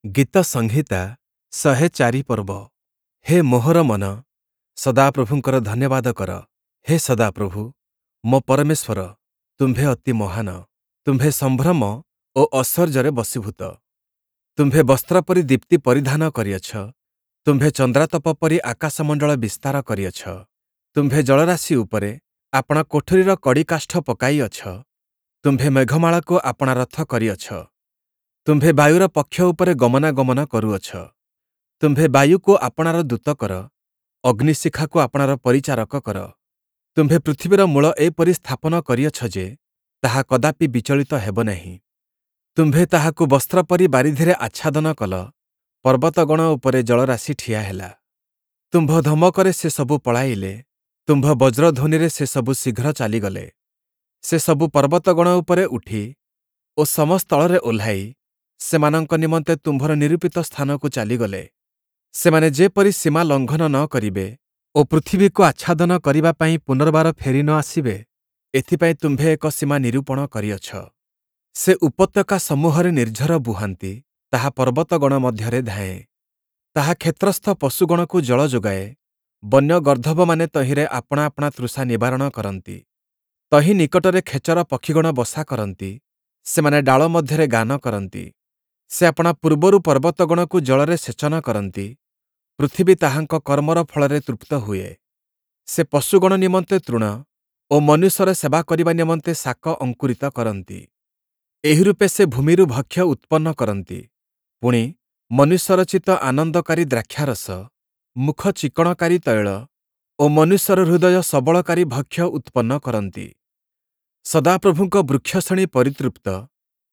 ଗୀତସଂହିତା 104 ପର୍ବ। ହେ ମୋହର ମନ, ସଦାପ୍ରଭୁଙ୍କର ଧନ୍ୟବାଦ କର। ହେ ସଦାପ୍ରଭୁ, ମୋ ପରମେଶ୍ୱର, ତୁମ୍ଭେ ଅତି ମହାନ। ତୁମ୍ଭେ ସମ୍ଭ୍ରମ ଓ ଐଶ୍ୱର୍ଯ୍ୟରେ ବଶୀଭୂତ। ତୁମ୍ଭେ ବସ୍ତ୍ର ପରି ଦୀପ୍ତି ପରିଧାନ କରିଅଛ। ତୁମ୍ଭେ ଚନ୍ଦ୍ରାତପ ପରି ଆକାଶମଣ୍ଡଳ ବିସ୍ତାର କରିଅଛ। ତୁମ୍ଭେ ଜଳରାଶି ଉପରେ ଆପଣା କୋଠରିର କଡ଼ିକାଷ୍ଠ ପକାଇଅଛ। ତୁମ୍ଭେ ମେଘମାଳାକୁ ଆପଣା ରଥ କରିଅଛ। ତୁମ୍ଭେ ବାୟୁର ପକ୍ଷ ଉପରେ ଗମନାଗମନ କରୁଅଛ। ତୁମ୍ଭେ ବାୟୁକୁ ଆପଣାର ଦୂତ କର, ଅଗ୍ନିଶିଖାକୁ ଆପଣାର ପରିଚାରକ କର। ତୁମ୍ଭେ ପୃଥିବୀର ମୂଳ ଏପରି ସ୍ଥାପନ କରିଅଛ ଯେ, ତାହା କଦାପି ବିଚଳିତ ହେବ ନାହିଁ। ତୁମ୍ଭେ ତାହାକୁ ବସ୍ତ୍ର ପରି ବାରିଧିରେ ଆଚ୍ଛାଦନ କଲ, ପର୍ବତଗଣ ଉପରେ ଜଳରାଶି ଠିଆ ହେଲା। ତୁମ୍ଭ ଧମକରେ ସେସବୁ ପଳାଇଲେ, ତୁମ୍ଭ ବଜ୍ରଧ୍ୱନିରେ ସେସବୁ ଶୀଘ୍ର ଚାଲିଗଲେ। ସେସବୁ ପର୍ବତଗଣ ଉପରେ ଉଠି ଓ ସମସ୍ଥଳରେ ଓହ୍ଲାଇ ସେମାନଙ୍କ ନିମନ୍ତେ ତୁମ୍ଭର ନିରୂପିତ ସ୍ଥାନକୁ ଚାଲିଗଲେ। ସେମାନେ ଯେପରି ସୀମା ଲଙ୍ଘନ ନ କରିବେ ଓ ପୃଥିବୀକୁ ଆଚ୍ଛାଦନ କରିବା ପାଇଁ ପୁନର୍ବାର ଫେରି ନ ଆସିବେ, ଏଥିପାଇଁ ତୁମ୍ଭେ ଏକ ସୀମା ନିରୂପଣ କରିଅଛ। ସେ ଉପତ୍ୟକା ସମୂହରେ ନିର୍ଝର ବୁହାନ୍ତି, ତାହା ପର୍ବତଗଣ ମଧ୍ୟରେ ଧାଏଁ। ତାହା କ୍ଷେତ୍ରସ୍ଥ ପଶୁଗଣକୁ ଜଳ ଯୋଗାଏ, ବନ୍ୟ ଗର୍ଦ୍ଦଭମାନେ ତହିଁରେ ଆପଣା ଆପଣା ତୃଷା ନିବାରଣ କରନ୍ତି। ତହିଁ ନିକଟରେ ଖେଚର ପକ୍ଷୀଗଣ ବସା କରନ୍ତି, ସେମାନେ ଡାଳ ମଧ୍ୟରେ ଗାନ କରନ୍ତି। ସେ ଆପଣା ପୂର୍ବରୁ ପର୍ବତଗଣକୁ ଜଳରେ ସେଚନ କରନ୍ତି, ପୃଥିବୀ ତାହାଙ୍କ କର୍ମର ଫଳରେ ତୃପ୍ତ ହୁଏ। ସେ ପଶୁଗଣ ନିମନ୍ତେ ତୃଣ ଓ ମନୁଷ୍ୟର ସେବା କରିବା ନିମନ୍ତେ ଶାକ ଅଙ୍କୁରିତ କରନ୍ତି। ଏହିରୂପେ ସେ ଭୂମିରୁ ଭକ୍ଷ୍ୟ ଉତ୍ପନ୍ନ କରନ୍ତି, ପୁଣି ମନୁଷ୍ୟରଚିତ ଆନନ୍ଦକାରୀ ଦ୍ରାକ୍ଷାରସ, ମୁଖ ଚିକ୍କଣକାରୀ ତୈଳ ଓ ମନୁଷ୍ୟର ହୃଦୟ ସବଳକାରୀ ଭକ୍ଷ୍ୟ ଉତ୍ପନ୍ନ କରନ୍ତି। ସଦାପ୍ରଭୁଙ୍କ ବୃକ୍ଷଶ୍ରେଣୀ ପରିତୃପ୍ତ,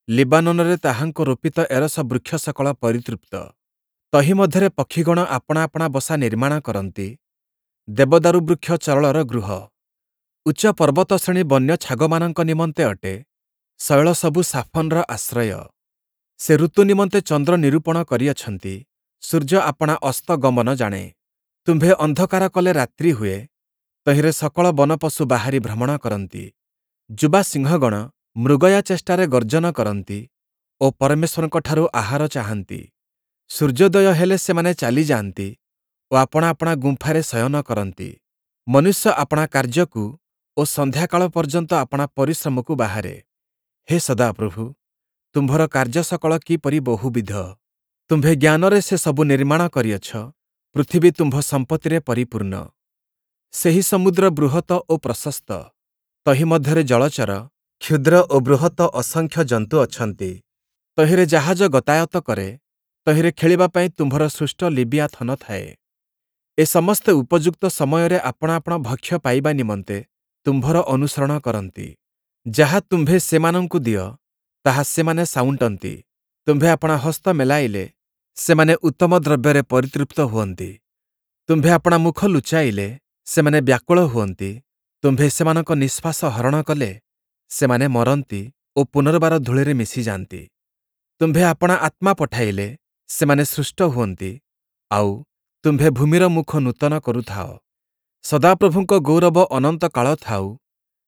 ଲିବାନୋନରେ ତାହାଙ୍କ ରୋପିତ ଏରସ ବୃକ୍ଷ ସକଳ ପରିତୃପ୍ତ। ତହିଁ ମଧ୍ୟରେ ପକ୍ଷୀଗଣ ଆପଣା ଆପଣା ବସା ନିର୍ମାଣ କରନ୍ତି, ଦେବଦାରୁ ବୃକ୍ଷ ଚରଳର ଗୃହ। ଉଚ୍ଚ ପର୍ବତଶ୍ରେଣୀ ବନ୍ୟ ଛାଗମାନଙ୍କ ନିମନ୍ତେ ଅଟେ, ଶୈଳ ସବୁ ସାଫନର ଆଶ୍ରୟ। ସେ ଋତୁ ନିମନ୍ତେ ଚନ୍ଦ୍ର ନିରୂପଣ କରିଅଛନ୍ତି, ସୂର୍ଯ୍ୟ ଆପଣା ଅସ୍ତ ଗମନ ଜାଣେ। ତୁମ୍ଭେ ଅନ୍ଧକାର କଲେ ରାତ୍ରି ହୁଏ, ତହିଁରେ ସକଳ ବନପଶୁ ବାହାରି ଭ୍ରମଣ କରନ୍ତି। ଯୁବା ସିଂହଗଣ ମୃଗୟା ଚେଷ୍ଟାରେ ଗର୍ଜନ କରନ୍ତି ଓ ପରମେଶ୍ୱରଙ୍କଠାରୁ ଆହାର ଚାହାନ୍ତି। ସୂର୍ଯ୍ୟୋଦୟ ହେଲେ ସେମାନେ ଚାଲିଯାଆନ୍ତି ଓ ଆପଣା ଆପଣା ଗୁମ୍ଫାରେ ଶୟନ କରନ୍ତି। ମନୁଷ୍ୟ ଆପଣା କାର୍ଯ୍ୟକୁ ଓ ସନ୍ଧ୍ୟାକାଳ ପର୍ଯ୍ୟନ୍ତ ଆପଣା ପରିଶ୍ରମକୁ ବାହାରେ। ହେ ସଦାପ୍ରଭୁ, ତୁମ୍ଭର କାର୍ଯ୍ୟ ସକଳ କିପରି ବହୁବିଧ! ତୁମ୍ଭେ ଜ୍ଞାନରେ ସେ ସବୁ ନିର୍ମାଣ କରିଅଛ, ପୃଥିବୀ ତୁମ୍ଭ ସମ୍ପତ୍ତିରେ ପରିପୂର୍ଣ୍ଣ। ସେହି ସମୁଦ୍ର ବୃହତ ଓ ପ୍ରଶସ୍ତ, ତହିଁ ମଧ୍ୟରେ ଜଳଚର, କ୍ଷୁଦ୍ର ଓ ବୃହତ ଅସଂଖ୍ୟ ଜନ୍ତୁ ଅଛନ୍ତି। ତହିଁରେ ଜାହାଜ ଗତାୟତ କରେ, ତହିଁରେ ଖେଳିବା ପାଇଁ ତୁମ୍ଭର ସୃଷ୍ଟ ଲିବିଆଥନ ଥାଏ। ଏ ସମସ୍ତେ ଉପଯୁକ୍ତ ସମୟରେ ଆପଣା ଆପଣା ଭକ୍ଷ୍ୟ ପାଇବା ନିମନ୍ତେ ତୁମ୍ଭର ଅନୁସରଣ କରନ୍ତି। ଯାହା ତୁମ୍ଭେ ସେମାନଙ୍କୁ ଦିଅ, ତାହା ସେମାନେ ସାଉଁଟନ୍ତି। ତୁମ୍ଭେ ଆପଣା ହସ୍ତ ମେଲାଇଲେ ସେମାନେ ଉତ୍ତମ ଦ୍ରବ୍ୟରେ ପରିତୃପ୍ତ ହୁଅନ୍ତି। ତୁମ୍ଭେ ଆପଣା ମୁଖ ଲୁଚାଇଲେ ସେମାନେ ବ୍ୟାକୁଳ ହୁଅନ୍ତି। ତୁମ୍ଭେ ସେମାନଙ୍କ ନିଶ୍ୱାସ ହରଣ କଲେ ସେମାନେ ମରନ୍ତି ଓ ପୁନର୍ବାର ଧୂଳିରେ ମିଶିଯାନ୍ତି। ତୁମ୍ଭେ ଆପଣା ଆତ୍ମା ପଠାଇଲେ ସେମାନେ ସୃଷ୍ଟ ହୁଅନ୍ତି, ଆଉ ତୁମ୍ଭେ ଭୂମିର ମୁଖ ନୂତନ କରୁଥାଅ। ସଦାପ୍ରଭୁଙ୍କ ଗୌରବ ଅନନ୍ତକାଳ ଥାଉ,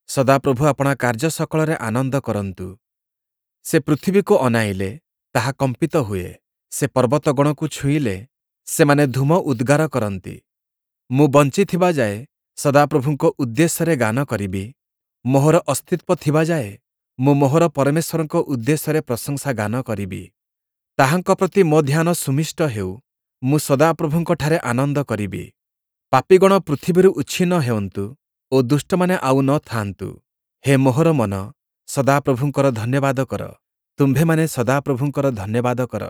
ସଦାପ୍ରଭୁ ଆପଣା କାର୍ଯ୍ୟ ସକଳରେ ଆନନ୍ଦ କରନ୍ତୁ। ସେ ପୃଥିବୀକୁ ଅନାଇଲେ, ତାହା କମ୍ପିତ ହୁଏ, ସେ ପର୍ବତଗଣକୁ ଛୁଇଁଲେ, ସେମାନେ ଧୂମ ଉଦ୍ଗାର କରନ୍ତି। ମୁଁ ବଞ୍ଚିଥିବା ଯାଏ ସଦାପ୍ରଭୁଙ୍କ ଉଦ୍ଦେଶ୍ୟରେ ଗାନ କରିବି, ମୋହର ଅସ୍ତିତ୍ୱ ଥିବା ଯାଏ ମୁଁ ମୋହର ପରମେଶ୍ୱରଙ୍କ ଉଦ୍ଦେଶ୍ୟରେ ପ୍ରଶଂସା ଗାନ କରିବି। ତାହାଙ୍କ ପ୍ରତି ମୋ ଧ୍ୟାନ ସୁମିଷ୍ଟ ହେଉ, ମୁଁ ସଦାପ୍ରଭୁଙ୍କଠାରେ ଆନନ୍ଦ କରିବି। ପାପୀଗଣ ପୃଥିବୀରୁ ଉଚ୍ଛିନ୍ନ ହେଉନ୍ତୁ ଓ ଦୁଷ୍ଟମାନେ ଆଉ ନ ଥାଆନ୍ତୁ। ହେ ମୋହର ମନ, ସଦାପ୍ରଭୁଙ୍କର ଧନ୍ୟବାଦ କର। ତୁମ୍ଭେମାନେ ସଦାପ୍ରଭୁଙ୍କର ଧନ୍ୟବାଦ କର।